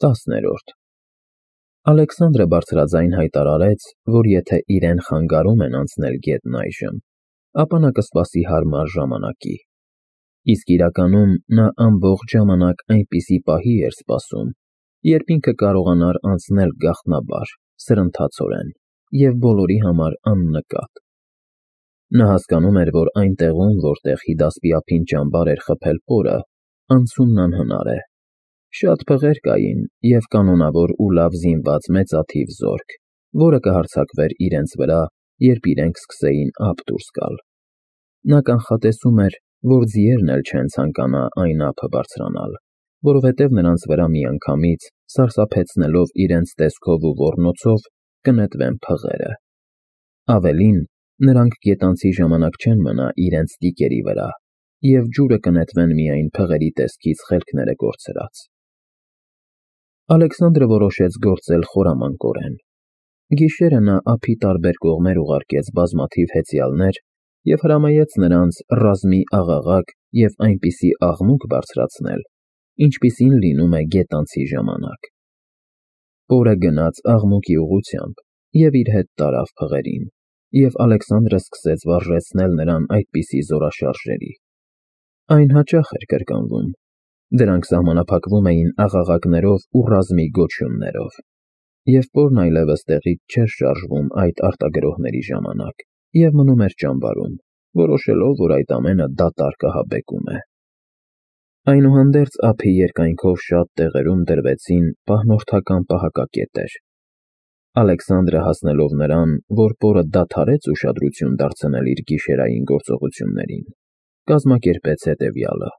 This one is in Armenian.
10-րդ Ալեքսանդրը բարձրաձայն հայտարարեց, որ եթե իրեն խանգարում են անցնել գետն այժմ, ապա նա կսպասի հարմար ժամանակի, իսկ իրականում նա ամբողջ ժամանակ այնպիսի պահի էր սպասում, երբ ինքը կարողանար անցնել գաղտնաբար, սրընթացորեն և բոլորի համար աննկատ։ Նա հասկանում էր, որ այն տեղում, որտեղ հիդասպիափին ճամբար էր խփել պորը, անցումն անհնար է։ Շատ փղեր կային և կանոնավոր ու լավ զինված մեծաթիվ զորք, որը կհարձակվեր իրենց վրա, երբ իրենք սկսեին ափ դուրս գալ։ Նա կանխատեսում էր, որ ձիերն էլ չեն ցանկանա այն ափը բարձրանալ, որովհետև նրանց վրա միանգամից, սարսափեցնելով իրենց տեսքով ու ոռնոցով, կնետվեն փղերը։ Ավելին, նրանք գետանցի ժամանակ չեն մնա իրենց տիկերի վրա, և ջուրը կնետվեն միայն փղերի տեսքից խելքները կորցրած։ Ալեքսանդրը որոշեց գործել խորամանկորեն։ Գիշերը նա ափի տարբեր կողմեր ուղարկեց բազմաթիվ հեծյալներ և հրամայեց նրանց ռազմի աղաղակ և այնպիսի աղմուկ բարձրացնել, ինչպիսին լինում է գետանցի ժամանակ։ Պորը գնաց աղմուկի ուղղությամբ և իր հետ տարավ փղերին, և Ալեքսանդրը սկսեց վարժեցնել նրան այդպիսի զորաշարժերի։ Այն հաճախ էր կրկնվում։ Դրանք սահմանափակվում էին աղաղակներով ու ռազմի գոչյուններով, և պորն այլևս տեղից չէր շարժվում այդ արտագրոհների ժամանակ և մնում էր ճամբարում, որոշելով, որ այդ ամենը դատարկ ահաբեկում է։ Այնուհանդերձ ափի երկայնքով շատ տեղերում դրվեցին պահնորդական պահակակետեր։ Ալեքսանդրը հասնելով նրան, որ պորը դադարեց ուշադրություն դարձնել իր գիշերային գործողություններին, կազմակերպեց հետևյալը.